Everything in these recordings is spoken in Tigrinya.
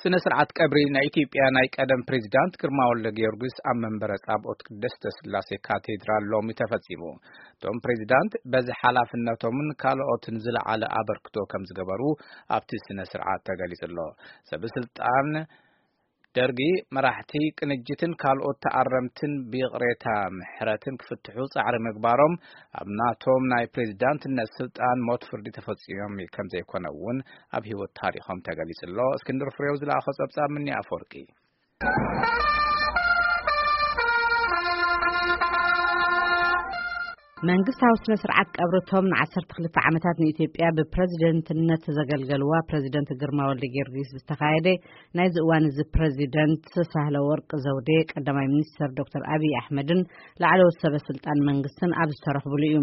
ስነ ስርዓት ቀብሪ ናይ ኢትዮጵያ ናይ ቀደም ፕሬዚዳንት ግርማ ወልደ ጊዮርጊስ ኣብ መንበረ ጻብኦት ቅድስተ ስላሴ ካቴድራል ሎሚ ተፈጺሙ። እቶም ፕሬዚዳንት በዚ ሓላፍነቶምን ካልኦትን ዝለዓለ ኣበርክቶ ከም ዝገበሩ ኣብቲ ስነ ስርዓት ተገሊጹ ኣሎ። ሰበስልጣን ደርጊ መራሕቲ ቅንጅትን ካልኦት ተኣረምትን ብይቕሬታ ምሕረትን ክፍትሑ ጻዕሪ ምግባሮም ኣብ ናቶም ናይ ፕሬዚዳንትነት ስልጣን ሞት ፍርዲ ተፈጺሞም ከም ዘይኮነ እውን ኣብ ህይወት ታሪኾም ተገሊጹ ኣሎ። እስክንድር ፍሬው ዝለኣኾ ጸብጻብ ምኒ ኣፈወርቂ። መንግስታዊ ስነ ስርዓት ቀብርቶም ን12 ዓመታት ንኢትዮጵያ ብፕሬዚደንትነት ዘገልገልዋ ፕሬዚደንት ግርማ ወልደ ጊዮርጊስ ዝተኻየደ፣ ናይዚ እዋን እዚ ፕሬዚደንት ሳህለ ወርቅ ዘውዴ፣ ቀዳማይ ሚኒስትር ዶክተር ኣብይ ኣሕመድን ላዕለዎት ሰበ ስልጣን መንግስትን ኣብ ዝተረኽብሉ እዩ።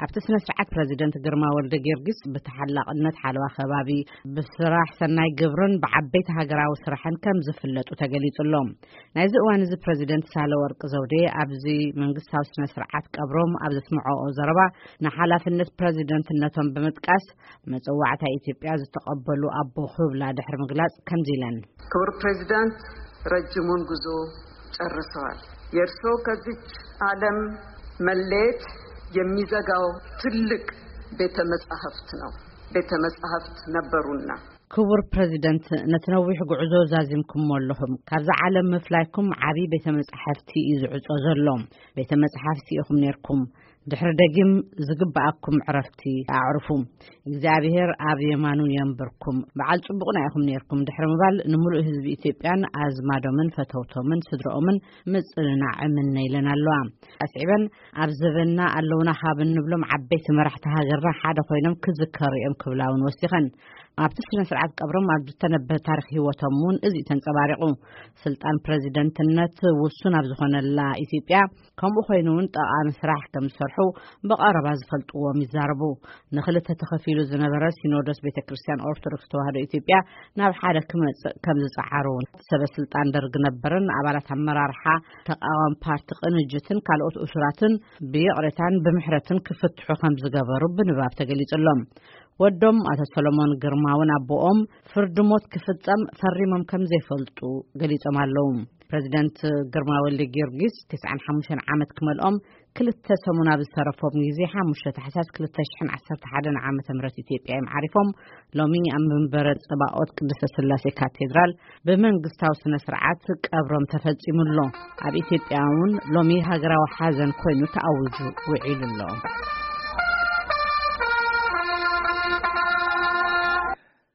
ኣብቲ ስነ ስርዓት ፕሬዚደንት ግርማ ወልደ ጊዮርጊስ ብተሓላቕነት ሓለዋ ከባቢ፣ ብስራሕ ሰናይ ግብርን ብዓበይቲ ሃገራዊ ስራሕን ከም ዝፍለጡ ተገሊጹ ኣሎ። ናይዚ እዋን እዚ ፕሬዚደንት ሳህለ ወርቅ ዘውዴ ኣብዚ መንግስታዊ ስነ ስርዓት ቀብሮም ኣብ ዘስምዐኦ ዘረባ፣ ንሓላፍነት ፕሬዚደንትነቶም ብምጥቃስ፣ መጸዋዕታ ኢትዮጵያ ዝተቐበሉ ኣቦ ክብላ ድሕሪ ምግላጽ ከምዚ ኢለን። ክቡር ፕሬዚዳንት፣ ረጅሙን ጉዞ ጨርሰዋል። የእርሶ ከዚች ዓለም መለየት የሚዘጋው ትልቅ ቤተ መጻሕፍት ነው። ቤተ መጻሕፍት ነበሩና። ክቡር ፕሬዚደንት፣ ነቲ ነዊሕ ጉዕዞ ዛዚምኩሞ ኣለኹም። ካብዛ ዓለም ምፍላይኩም ዓቢ ቤተ መጻሕፍቲ እዩ ዝዕጾ ዘሎ። ቤተ መጻሕፍቲ ኢኹም ነርኩም። ድሕሪ ደጊም ዝግብኣኩም ዕረፍቲ ኣዕርፉ። እግዚኣብሔር ኣብ የማኑ የንብርኩም። በዓል ጽቡቕና ኢኹም ነርኩም ድሕሪ ምባል፣ ንምሉእ ህዝቢ ኢትዮጵያን ኣዝማዶምን ፈተውቶምን ስድረኦምን ምጽንናዕ እምነ ኢለን ኣለዋ። ኣስዒበን፣ ኣብ ዘበንና ኣለውና ካብ እንብሎም ዓበይቲ መራሕቲ ሃገርና ሓደ ኮይኖም ክዝከሩ እዮም ክብላ እውን ወሲኸን። ኣብቲ ስነ ስርዓት ቀብሮም ኣብ ዝተነበ ታሪኽ ህይወቶም እውን እዚ እዩ ተንጸባሪቑ። ስልጣን ፕሬዚደንትነት ውሱን ኣብ ዝኾነላ ኢትዮጵያ፣ ከምኡ ኮይኑ እውን ጠቓሚ ስራሕ ከም ዝሰርሑ ብቐረባ ዝፈልጥዎም ይዛረቡ። ንኽልተ ተኸፊሉ ዝነበረ ሲኖዶስ ቤተ ክርስቲያን ኦርቶዶክስ ተዋህዶ ኢትዮጵያ ናብ ሓደ ክመጽእ ከም ዝጸዓሩ፣ ሰበ ስልጣን ደርግ ነበርን ኣባላት ኣመራርሓ ተቃዋሚ ፓርቲ ቅንጅትን ካልኦት እሱራትን ብይቕሬታን ብምሕረትን ክፍትሑ ከም ዝገበሩ ብንባብ ተገሊጹ ኣሎ። ወዶም ኣቶ ሰሎሞን ግርማ እውን ኣቦኦም ፍርዲ ሞት ክፍጸም ፈሪሞም ከም ዘይፈልጡ ገሊጾም ኣለዉ። ፕሬዚደንት ግርማ ወልደ ጊዮርጊስ 95 ዓመት ክመልኦም ክልተ ሰሙን ኣብ ዝተረፎም ግዜ፣ ሓሙሽተ ታሕሳስ 2011 ዓመተ ምህረት ኢትዮጵያ እዮም ዓሪፎም። ሎሚ ኣብ መንበረ ጸባኦት ቅድስተ ስላሴ ካቴድራል ብመንግስታዊ ስነ ስርዓት ቀብሮም ተፈጺሙ ኣሎ። ኣብ ኢትዮጵያ እውን ሎሚ ሃገራዊ ሓዘን ኮይኑ ተኣዊጁ ውዒሉ ኣሎ።